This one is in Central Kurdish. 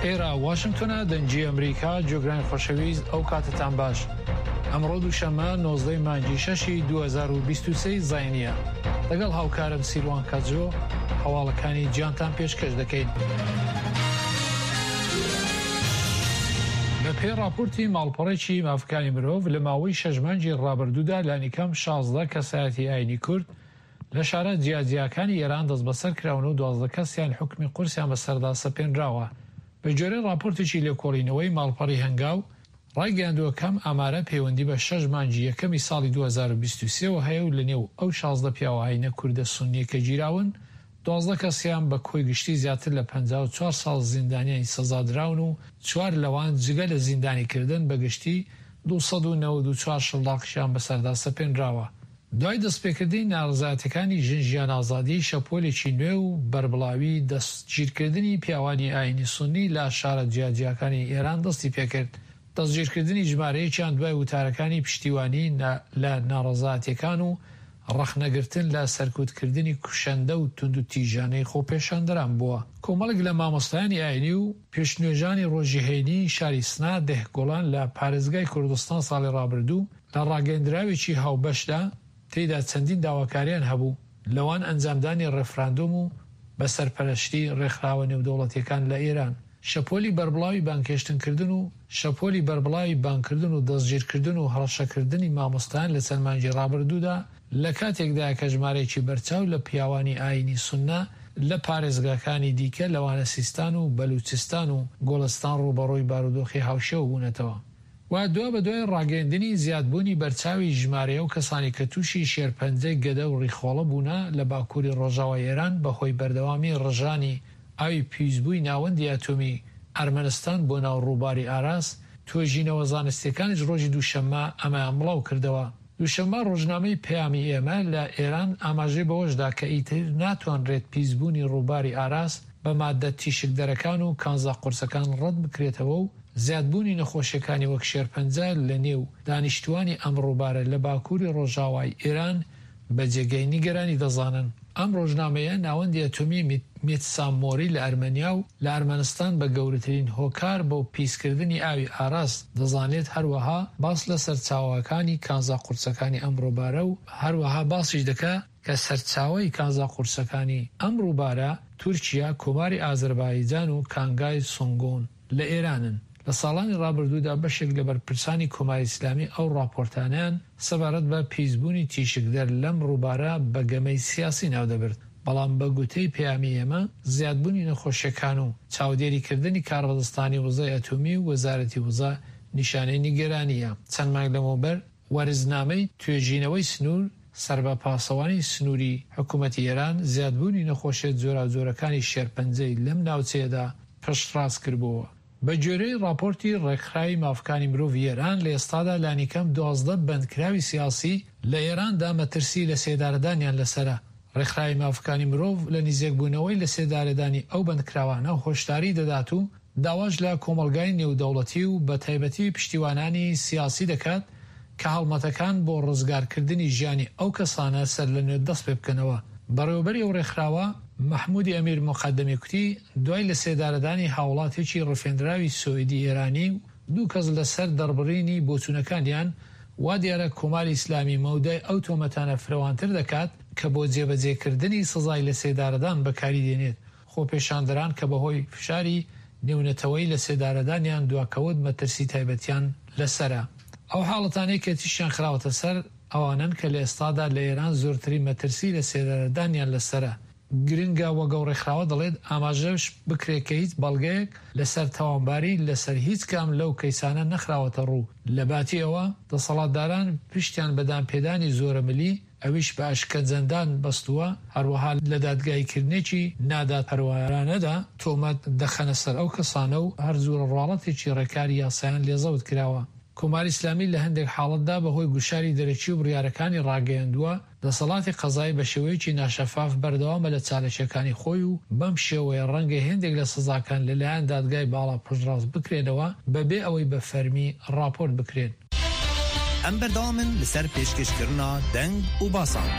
ئێرە واشنگتۆنە دەنگی ئەمریکا جۆگرانی خۆشەویست ئەو کاتتان باش ئەمڕۆ دووشەممە 19 مانگی شەشی 2023 زینیە لەگەڵ هاوکارم سیروان کەجۆ هەواڵەکانی جیانتان پێشکەش دەکەین. بەپێی ڕاپۆرتی ماڵپەڕێکی مافەکانی مرۆڤ لە ماوەی شەش مانگی ڕابردوودا لانیکەم 16 کەسایەتی ئاینی کورد لە شارە جیاجیاکانی ئێران دەستبەسەر کراون و 12 کەسیان حوکمی قورسیان بەسەردا سەپێنراوە. بەگوێرەی ڕاپۆرتێکی لێکۆڵینەوەی ماڵپەڕی هەنگاو ڕایگەیاندووە کە ئەم ئامارە پەیوەندی بە شەش مانگی یەکەمی ساڵی 2023 وە هەیە و لەنێو ئەو 16 پیاوە ئاینە کوردە سوننیە کە گیراون 12 کەسیان بە کۆی گشتی زیاتر لە 54 ساڵ زیندانیانی سزادراون و چوار لەوان جگە لە زیندانیکردن بە گشتی 294 شڵداقیشیان بەسەردا سەپێنراوە. دوای دەستپێکردنی ناڕەزایەتیەکانی ژن ژیان ئازادی شەپۆلێکی نوێ و بەربڵاوی دەستگیرکردنی پیاوانی ئاینی سوننی لە شارە جیاجیاکانی ئێران دەستی پێکرد، دەستگیرکردنی ژمارەیەکیان دوای وتارەکانی پشتیوانی لە ناڕەزایەتیەکان و ڕەخنەگرتن لە سەرکوتکردنی کوشەندە و توندوتیژانەی خۆپێشاندەران بووە. کۆمەڵێک لە مامۆستایانی ئاینی و پێشنوێژانی ڕۆژی هەینی شاری سنە دهگوڵان لە پارێزگای کوردستان ساڵی ڕابردوو لە ڕاگەیەندراوێکی هاوبەشدا تێیدا چەندین داواکاریان هەبوو، لەوان ئەنجامدانی ڕێفراندۆم و بە سەرپەرەشتی ڕێکخراوە نێودەوڵەتیەکان لە ئێران، شەپۆلی بەربڵاوی بانگهێشتنکردن و شەپۆلی بەربڵاوی بانگکردن و دەستگیرکردن و هەڕەشەکردنی مامۆستایان لە چەند مانگی ڕابردوودا لە کاتێکدایە کە ژمارەیەکی بەرچاو لە پیاوانی ئایینی سوننە لە پارێزگاکانی دیکە لەوانە سیستان و بەلوچستان و گوڵستان ڕووبەڕووی بارودۆخی هاوشێوە بوونەتەوە. و دوابەدوای ڕاگەیەندنی زیادبوونی بەرچاوی ژمارەی ئەو کەسانەی کە تووشی شێرپەنجەی گەدە و ڕیخۆڵە بوونە لە باکووری ڕۆژاوای ئێران بەهۆی بەردەوامی ڕژانی ئاوی پیسبووی ناوەندی ئەتۆمی ئەرمەنستان بۆ ناو ڕووباری ئاراس، توێژینەوە زانستییەکانیش ڕۆژی دووشەممە ئەمەیان بڵاو کردەوە. دووشەممە ڕۆژنامەی پەیامی ئێمە لە ئێران ئاماژەی بەوەش دا کە ئیتر ناتوانرێت پیسبوونی ڕووباری ئاراس بە ماددە تیشکدەرەکان و کانزا قورسەکان ڕەت بکرێتەوە و زیادبوونی نەخۆشیەکانی وەک شێرپەنجە لە نێو دانیشتووانی ئەم ڕووبارە لە باکووری ڕۆژاوای ئێران بە جێگەی نیگەرانی دەزانن. ئەم ڕۆژنامەیە ناوەندی ئەتۆمی میتسامۆری لە ئەرمەنیا و لە ئەرمەنستان بە گەورەترین هۆکار بۆ پیسکردنی ئاوی ئاراس دەزانێت هەروەها باس لە سەرچاوەکانی کانزا قورسەکانی ئەم ڕووبارە و هەروەها باسیش دەکا کە سەرچاوەی کانزا قورسەکانی ئەم ڕووبارە تورکیا، کۆماری ئازەربایجان و کانگای سونگون لە ئێرانن. لە ساڵانی ڕابردوودا بەشێک لە بەرپرسانی کۆماری ئیسلامی ئەو ڕاپۆرتانەیان سەبارەت بە پیسبوونی تیشکدەر لەم ڕووبارە بە گەمەی سیاسی ناودەبرد، بەڵام بە گوتەی پەیامی ئێمە زیادبوونی نەخۆشیەکان و چاودێریکردنی کاربەدەستانی وزەی ئەتۆمی و وەزارەتی وزە نیشانەی نیگەرانییە. چەند مانگ لەمەوبەر وەرزنامەی توێژینەوەی سنوور سەر بە پاسەوانی سنووری حکوومەتی ئێران زیادبوونی نەخۆشیە جۆراوجۆرەکانی شێرپەنجەی لەم ناوچەیەدا پشتڕاست کردبۆوە. بە گوێرەی ڕاپۆرتی ڕێکخراوی مافەکانی مرۆڤی ئێران لە ئێستادا لانیکەم 12 بەندکراوی سیاسی لە ئێراندا مەترسی لەسێدارەدانیان لەسەرە. ڕێکخراوی مافەکانی مرۆڤ لە نیزێکبوونەوەی لەسێدارەدانی ئەو بەندکراوانە هۆشداری دەدات و داواش لە کۆمەڵگای نێودەوڵەتی و بەتایبەتی پشتیوانانی سیاسی دەکات کە هەڵمەتەکان بۆ ڕزگارکردنی ژیانی ئەو کەسانە سەرلەنوێ دەست پێبکەنەوە. بەڕێوەبەری ئەو ڕێکخراوە، مەحموودی ئەمیر موقەدەمی کوتی، دوای لەسێدارەدانی هاوڵاتێکی ڕفێندراوی سۆئیدی ئێرانی و دوو کەس لەسەر دەڕبڕینی بۆچوونەکانیان، وا دیارە کۆماری ئیسلامی مەودای ئەو تۆمەتانە فرەوانتر دەکات کە بۆ جێبەجێکردنی سزای لەسێدارەدان بەکاری دێنێت. خۆپێشاندەران کە بەهۆی فشاری نێونەتەوەیی لەسێدارەدانیان دواکەوت مەترسی تایبەتیان لەسەرە. ئەو حاڵەتانەی کە تیشکیان خراوەتە سەر ئەوانەن کە لە ئێستادا لە ئێران زۆرترین مەترسی لەسێدارەدانیان لەسەرە. گرنگە وەک ئەو ڕێکخراوە دەڵێت ئاماژەش بکرێت کە هیچ بەڵگەیەک لەسەر تاوانباری لەسەر هیچ کام لەو کەیسانە نەخراوەتە ڕوو، لەباتی ئەوە دەسەڵاتداران پشتیان بە دانپێدانی زۆرەملی ئەویش بە ئەشکەنجەدان بەستووە، هەروەها لە دادگاییکردنێکی نادادپەروەرانەدا تۆمەت دەخەنە سەر ئەو کەسانە و هەر جورە ڕواڵەتێکی ڕێکاری یاسایان لێ زەوت کراوە. کۆماری ئیسلامی لە هەندێک حاڵەتدا بە هۆی گوشاری دەرەکی و بڕیارەکانی ڕاگەیاندووە، دەسەڵاتی قەزایی بە شێوەیەکی ناشەفاف بەردەوامە لە چاالکییەکانی خۆی و بەم شێوەیە ڕەنگە هێندێک لە سزاکان لە لایەن دادگای باڵا پشتڕاست بکرێنەوە بە بێ ئەوەی بە فەرمی ڕاپۆرت بکرێن. ئەم بەردەوامن لەسەر پێشکەشکردنا دەنگ و باسان.